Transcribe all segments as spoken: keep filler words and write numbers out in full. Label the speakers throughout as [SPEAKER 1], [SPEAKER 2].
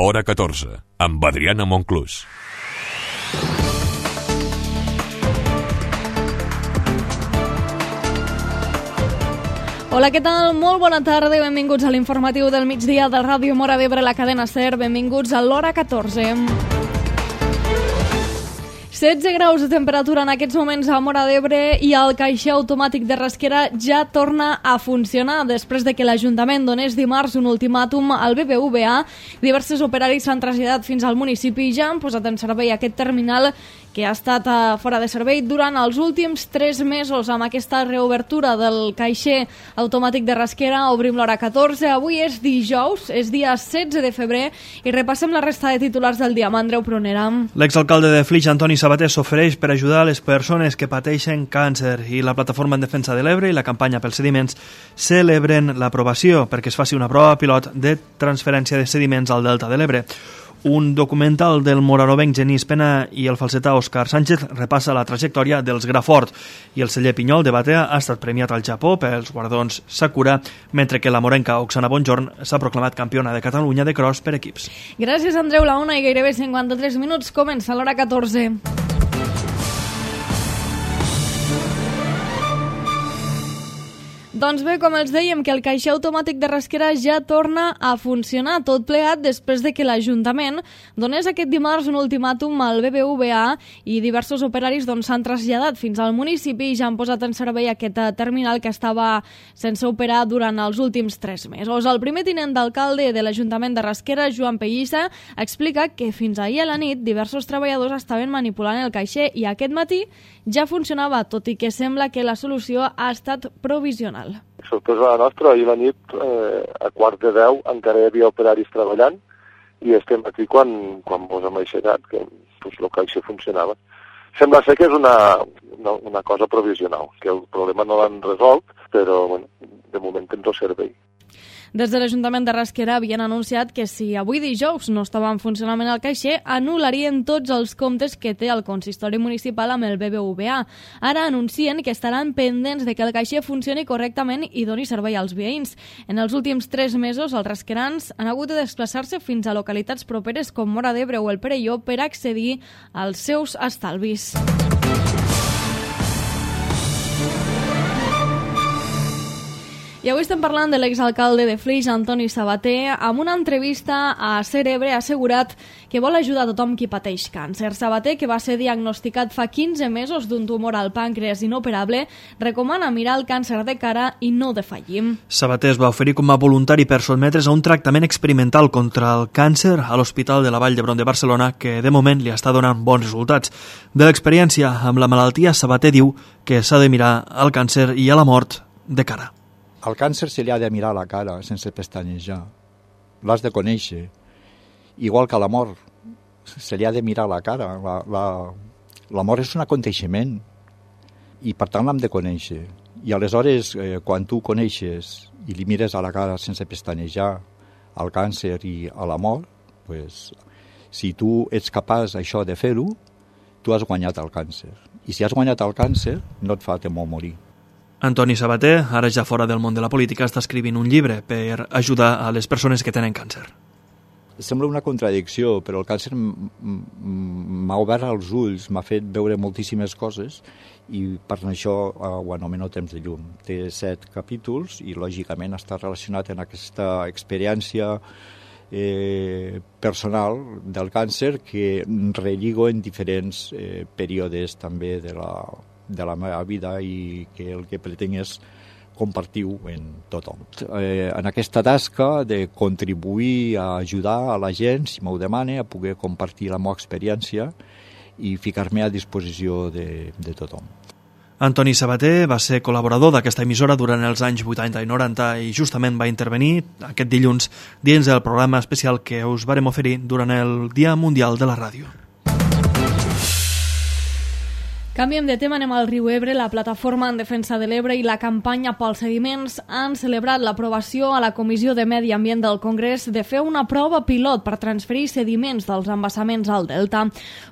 [SPEAKER 1] Hora catorze, amb Adriana Monclús.
[SPEAKER 2] Hola, què tal? Molt bona tarda i benvinguts a l'informatiu del migdia del Ràdio Móra d'Ebre, la cadena SER. Benvinguts a l'Hora catorze. setze graus de temperatura en aquests moments a Móra d'Ebre i el caixer automàtic de Rasquera ja torna a funcionar. Després de que l'Ajuntament donés dimarts un ultimàtum al B B V A, diversos operaris s'han traslladat fins al municipi i ja han posat en servei aquest terminal que ha estat fora de servei durant els últims tres mesos. Amb aquesta reobertura del caixer automàtic de Rasquera obrim l'Hora catorze. Avui és dijous, és dia setze de febrer i repassem la resta de titulars del dia amb Andreu Prunera.
[SPEAKER 3] L'exalcalde de Flix, Antoni Sabater, s'ofereix per ajudar les persones que pateixen càncer i la Plataforma en Defensa de l'Ebre i la campanya pels sediments celebren l'aprovació perquè es faci una prova pilot de transferència de sediments al Delta de l'Ebre. Un documental del moranovenc Genís Pena i el falsetà Òscar Sánchez repassa la trajectòria dels Grafort i el celler Pinyol de Batea ha estat premiat al Japó pels guardons Sakura, mentre que la morenca Oksana Bonjorn s'ha proclamat campiona de Catalunya de cross per equips.
[SPEAKER 2] Gràcies, Andreu. La una i gairebé cinquanta-tres minuts comença l'Hora catorze. Doncs bé, com els dèiem, que el caixer automàtic de Rasquera ja torna a funcionar, tot plegat després de que l'Ajuntament donés aquest dimarts un ultimàtum al B B V A i diversos operaris doncs, s'han traslladat fins al municipi i ja han posat en servei aquest terminal que estava sense operar durant els últims tres mesos. El primer tinent d'alcalde de l'Ajuntament de Rasquera, Joan Pellissa, explica que fins ahir a la nit diversos treballadors estaven manipulant el caixer i aquest matí ja funcionava, tot i que sembla que la solució ha estat provisional.
[SPEAKER 4] Sorpresa la nostra, ahir la nit, eh, a quart de deu, encara hi havia operaris treballant i estem aquí quan, quan mos hem aixecat, que pues, el caixer funcionava. Sembla ser que és una, una, una cosa provisional, que el problema no l'han resolt, però bueno, de moment ens ho servei.
[SPEAKER 2] Des de l'Ajuntament de Rasquera havien anunciat que si avui dijous no estava en funcionament el caixer, anul·larien tots els comptes que té el consistori municipal amb el B B V A. Ara anuncien que estaran pendents de que el caixer funcioni correctament i doni servei als veïns. En els últims tres mesos, els rasquerans han hagut de desplaçar-se fins a localitats properes com Móra d'Ebre o el Perelló per accedir als seus estalvis. I avui estem parlant de l'exalcalde de Flix, Antoni Sabater. Amb una entrevista a SER Ebre ha assegurat que vol ajudar a tothom qui pateix càncer. Sabater, que va ser diagnosticat fa quinze mesos d'un tumor al pàncreas inoperable, recomana mirar el càncer de cara i no defallim.
[SPEAKER 3] Sabater es va oferir com a voluntari per sotmetre's a un tractament experimental contra el càncer a l'Hospital de la Vall d'Hebron de Barcelona, que de moment li està donant bons resultats. De l'experiència amb la malaltia, Sabater diu que s'ha de mirar al càncer i a la mort de cara.
[SPEAKER 5] Al càncer se li ha de mirar la cara sense pestanejar. L'has de conèixer. Igual que a la mort, se li ha de mirar la cara. La, la, la mort és un aconteixement i per tant l'hem de conèixer. I aleshores, eh, quan tu coneixes i li mires a la cara sense pestanejar al càncer i a la mort, pues, si tu ets capaç això de fer-ho, tu has guanyat el càncer. I si has guanyat el càncer, no et fa temor morir.
[SPEAKER 3] Antoni Sabater, ara ja fora del món de la política, està escrivint un llibre per ajudar a les persones que tenen càncer.
[SPEAKER 5] Sembla una contradicció, però el càncer m'ha obert els ulls, m'ha fet veure moltíssimes coses i per això ho anomeno Temps de llum. Té set capítols i lògicament està relacionat amb aquesta experiència eh, personal del càncer que relligo en diferents eh, períodes també de la de la meva vida i que el que pretenc és compartir-ho en tothom. Eh, en aquesta tasca de contribuir a ajudar a la gent, si m'ho demana, a poder compartir la meva experiència i ficar-me a disposició de, de tothom.
[SPEAKER 3] Antoni Sabater va ser col·laborador d'aquesta emissora durant els anys vuitanta i noranta i justament va intervenir aquest dilluns dins del programa especial que us varem oferir durant el Dia Mundial de la Ràdio.
[SPEAKER 2] Canviem de tema, anem al riu Ebre. La Plataforma en Defensa de l'Ebre i la campanya pels sediments han celebrat l'aprovació a la Comissió de Medi Ambient del Congrés de fer una prova pilot per transferir sediments dels embassaments al Delta.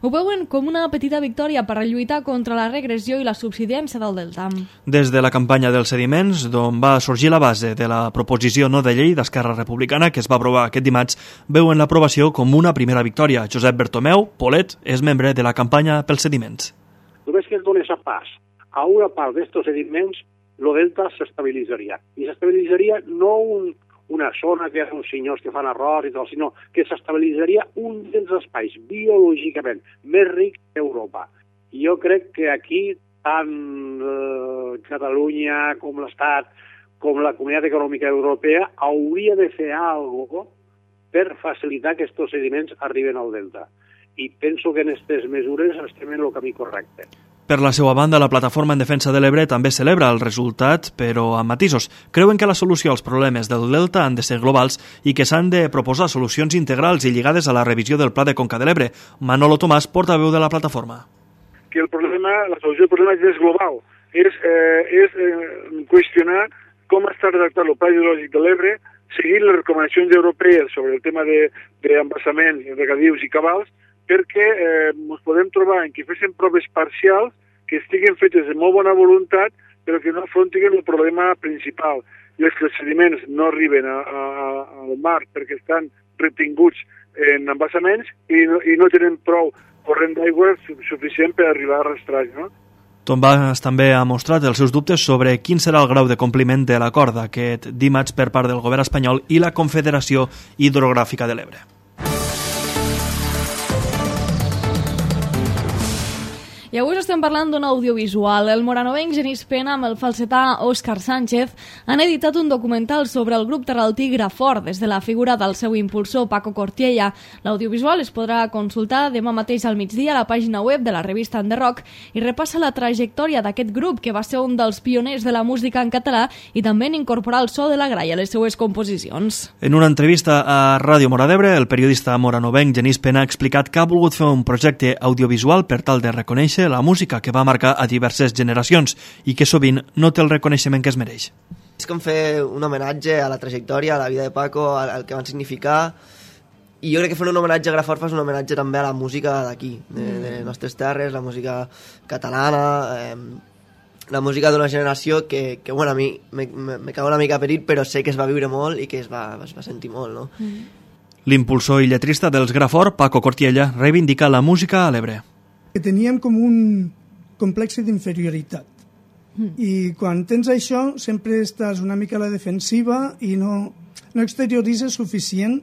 [SPEAKER 2] Ho veuen com una petita victòria per lluitar contra la regressió i la subsidència del Delta.
[SPEAKER 3] Des de la campanya dels sediments, d'on va sorgir la base de la proposició no de llei d'Esquerra Republicana que es va aprovar aquest dimarts, veuen l'aprovació com una primera victòria. Josep Bertomeu, Polet, és membre de la campanya pels sediments.
[SPEAKER 6] Només que es donés a pas a una part d'estos sediments, el delta s'estabilitzaria. I s'estabilitzaria no un, una zona que hi ha uns senyors que fan arròs i tal, sinó que s'estabilitzaria un dels espais biològicament més rics d'Europa. I jo crec que aquí, tant eh, Catalunya com l'Estat, com la Comunitat Econòmica Europea, hauria de fer alguna cosa per facilitar que aquests sediments arriben al delta. I penso que en aquestes mesures estem en el camí correcte.
[SPEAKER 3] Per la seva banda, la Plataforma en Defensa de l'Ebre també celebra el resultat, però amb matisos. Creuen que la solució als problemes del Delta han de ser globals i que s'han de proposar solucions integrals i lligades a la revisió del Pla de Conca de l'Ebre. Manolo Tomàs, portaveu de la plataforma.
[SPEAKER 7] Que el problema, la solució del problema és global. És, eh, és eh, qüestionar com està redactat el Pla Hidrològic de l'Ebre, seguir les recomanacions europees sobre el tema d'embassaments, de, regadius i cabals, perquè eh, ens podem trobar en que fessin proves parcials que estiguen fetes de molt bona voluntat però que no afrontin el problema principal. I és que els sediments no arriben a, a, al mar perquè estan retinguts en embassaments i no, i no tenen prou corrent d'aigua suficient per arribar a rastreig, no?
[SPEAKER 3] Tomàs també ha mostrat els seus dubtes sobre quin serà el grau de compliment de l'acord d'aquest dimarts per part del govern espanyol i la Confederació Hidrogràfica de l'Ebre.
[SPEAKER 2] I avui estem parlant d'un audiovisual. El moranovenc Genís Pena amb el falsetà Òscar Sánchez han editat un documental sobre el grup terraltí Grafort des de la figura del seu impulsor Paco Cortiella. L'audiovisual es podrà consultar demà mateix al migdia a la pàgina web de la revista En The Rock i repassa la trajectòria d'aquest grup que va ser un dels pioners de la música en català i també en incorporar el so de la gralla a les seues composicions.
[SPEAKER 3] En una entrevista a Ràdio Mora d'Ebre, el periodista moranovenc Genís Pena ha explicat que ha volgut fer un projecte audiovisual per tal de reconèixer la música que va marcar a diverses generacions i que sovint no té el reconeixement que es mereix.
[SPEAKER 8] És com fer un homenatge a la trajectòria, a la vida de Paco, al, al que van significar, i jo crec que fer un homenatge a Grafort fa un homenatge també a la música d'aquí, de, de les nostres terres, la música catalana, eh, la música d'una generació que, que bueno, a mi me, me, me cago una mica perit, però sé que es va viure molt i que es va, es va sentir molt, no? Mm.
[SPEAKER 3] L'impulsor i lletrista dels Grafort, Paco Cortiella, reivindica la música a l'Ebre.
[SPEAKER 9] Que teníem com un complex d'inferioritat. Mm. I quan tens això sempre estàs una mica a la defensiva i no, no exterioritzes suficient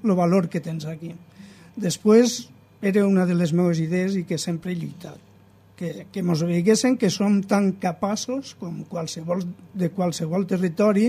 [SPEAKER 9] el valor que tens aquí. Després era una de les meves idees i que sempre he lluitat. Que, que mos veiguessin que som tan capaços com qualsevol, de qualsevol territori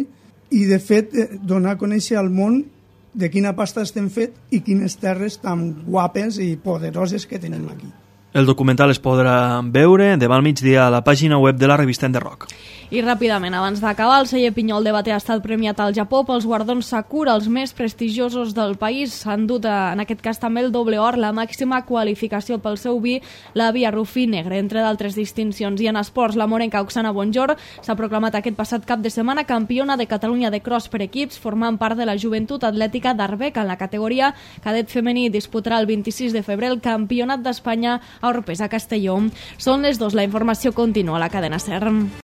[SPEAKER 9] i de fet donar a conèixer al món de quina pasta estem fet i quines terres tan guapes i poderoses que tenim aquí.
[SPEAKER 3] El documental es podrà veure demà al migdia a la pàgina web de la revista En The Rock.
[SPEAKER 2] I ràpidament, abans d'acabar, el celler Pinyol de Bater ha estat premiat al Japó pels guardons Sakura, els més prestigiosos del país. S'han dut, en aquest cas també el doble or, la màxima qualificació pel seu vi, la Via Rufí Negre, entre d'altres distincions. I en esports, la morenca Oksana Bonjor s'ha proclamat aquest passat cap de setmana campiona de Catalunya de cross per equips, formant part de la joventut atlètica d'Arbeca. En la categoria cadet femení disputarà el vint-i-sis de febrer el Campionat d'Espanya a Orpesa Castelló. Són les dos, la informació continua a la cadena SER.